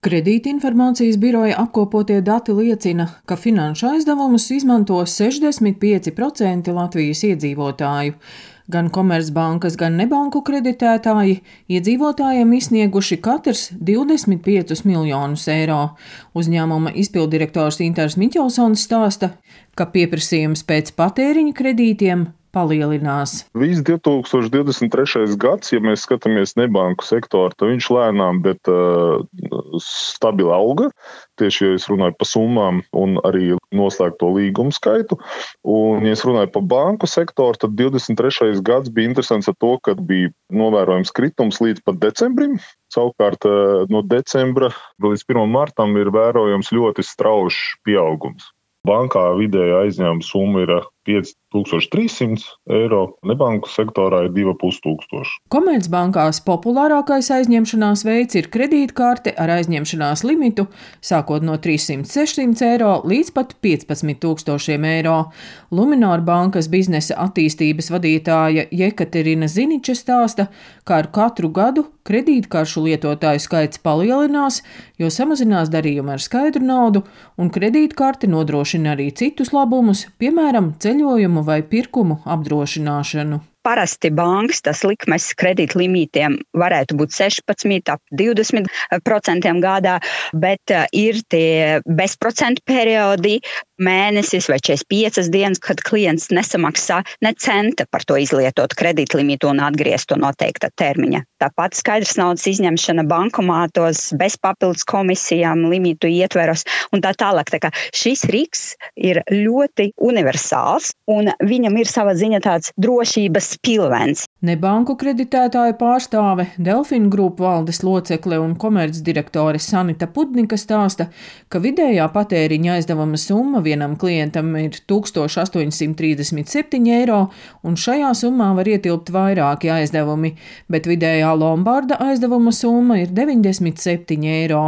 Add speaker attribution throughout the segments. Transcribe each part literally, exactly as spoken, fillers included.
Speaker 1: Kredītinformācijas biroja apkopotie dati liecina, ka finanšu aizdevumus izmanto sešdesmit pieci procenti Latvijas iedzīvotāju. Gan komercbankas, gan nebanku kreditētāji iedzīvotājiem izsnieguši katrs divdesmit piecus miljonus eiro. Uzņēmuma izpilddirektors Intars Miķelsons stāsta, ka pieprasījums pēc patēriņa kredītiem palielinās.
Speaker 2: Viss divi tūkstoši divdesmit trešais gads, ja mēs skatāmies nebanku sektoru, tad viņš lēnām, bet uh, stabili auga. Tieši, ja es runāju par summām un arī noslēgto līgumu skaitu. Un, ja es runāju par banku sektoru, tad divdesmit trešais gads bija interesants ar to, ka bija novērojams kritums līdz pat decembrim. Savukārt no decembra līdz pirmam martam ir vērojams ļoti strauji pieaugums. Bankā vidēja aizņēmuma summa ir pieci tūkstoši trīs simti eiro, nebanku sektorā ir divi ar pus tūkstoši.
Speaker 1: Komercbankās populārākais aizņemšanās veids ir kredītkarte ar aizņemšanās limitu, sākot no trīssimt sešsimt eiro līdz pat piecpadsmit tūkstošiem eiro. Luminor bankas biznesa attīstības vadītāja Jekaterina Ziniča stāsta, ka ar katru gadu kredītkaršu lietotāju skaits palielinās, jo samazinās darījumi ar skaidru naudu, un kredītkarte nodrošina arī citus labumus, piemēram, ceļojumu vai pirkumu apdrošināšanu.
Speaker 3: Parasti bankas tas likmes kredītlimītiem varētu būt sešpadsmit, ap divdesmit procentiem gadā, bet ir tie bezprocentu periodi, mēnesis vai četrdesmit piecas dienas, kad klients nesamaksā ne centa par to izlietotu kredītlimitu un atgriezt to noteikta termiņa. Tāpat skaidrs naudas izņemšana bankomātos bez papildus komisijām, limitu ietveros un tā tālāk. Tā kā šis rīks ir ļoti universāls un viņam ir sava ziņa tāds drošības pilvens.
Speaker 1: Nebanku kreditētāja pārstāve, Delfin Group valdes locekle un komercdirektore Sanita Pudnika stāsta, ka vidējā patēriņa aizdevuma summa vienam klientam ir tūkstoš astoņsimt trīsdesmit septiņi eiro, un šajā summā var ietilpt vairāki aizdevumi, bet vidējā Lombarda aizdevuma summa ir deviņdesmit septiņi eiro.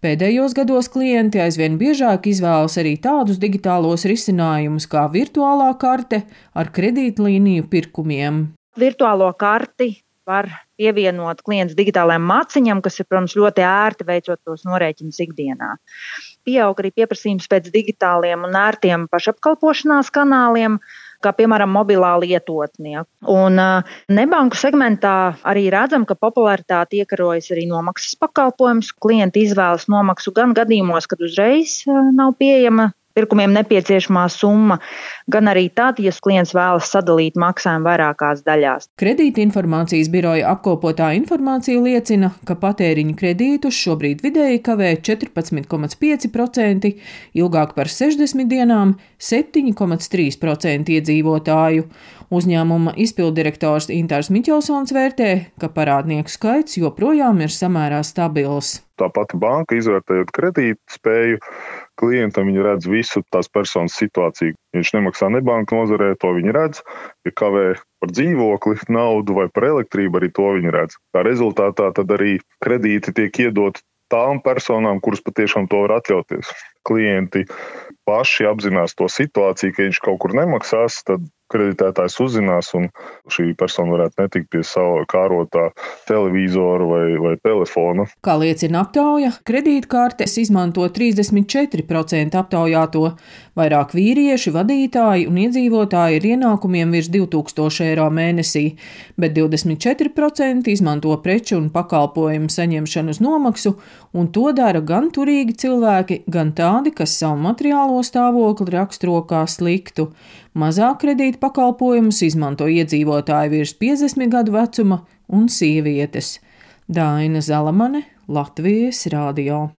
Speaker 1: Pēdējos gados klienti aizvien biežāk izvēlas arī tādus digitālos risinājumus kā virtuālā karte ar kredītlīniju pirkumiem.
Speaker 4: Virtuālo karti var pievienot klients digitālajam maciņam, kas ir, protams, ļoti ērti veicot tos norēķinus ikdienā. Pieaug arī pieprasījums pēc digitāliem un ērtiem pašapkalpošanās kanāliem, kā piemēram mobilā lietotnie. Un nebanku segmentā arī redzam, ka popularitāte iekarojas arī nomaksas pakalpojums. Klienti izvēlas nomaksu gan gadījumos, kad uzreiz nav pieejama pirkumiem nepieciešamā summa, gan arī tad, ja klients vēlas sadalīt maksājumu vairākās daļās.
Speaker 1: Kredītinformācijas biroja apkopotā informācija liecina, ka patēriņa kredītus šobrīd vidēji kavē četrpadsmit komats pieci procenti, ilgāk par sešdesmit dienām septiņi komats trīs procenti iedzīvotāju. Uzņēmuma izpilddirektors Intars Miķelsons vērtē, ka parādnieku skaits joprojām ir samērā stabils.
Speaker 2: Tā pati banka, izvērtējot kredītu spēju, klientam viņi redz visu tās personas situāciju. Viņš nemaksā nebanku nozarē, to viņi redz. Ja kavē par dzīvokli, naudu vai par elektrību, arī to viņi redz. Tā rezultātā tad arī kredīti tiek iedoti tām personām, kuras patiešām to var atļauties. Klienti paši apzinās to situāciju, ka viņš kaut kur nemaksās, tad kreditētājs uzzinās un šī persona varētu netikt pie sava kārotā televizora vai, vai telefona.
Speaker 1: Kā liecina aptauja, kredītkartes izmanto trīsdesmit četri procenti aptaujāto. Vairāk vīrieši, vadītāji un iedzīvotāji ar ienākumiem virs divi tūkstoši eiro mēnesī, bet divdesmit četri procenti izmanto preču un pakalpojumu saņemšanu uz nomaksu, un to dara gan turīgi cilvēki, gan tādi, kas savu materiālo stāvokli raksturo kā sliktu. Mazāk kredīta pakalpojumus izmanto iedzīvotāji virs piecdesmit gadu vecuma un sievietes. Daina Zalamane, Latvijas radio.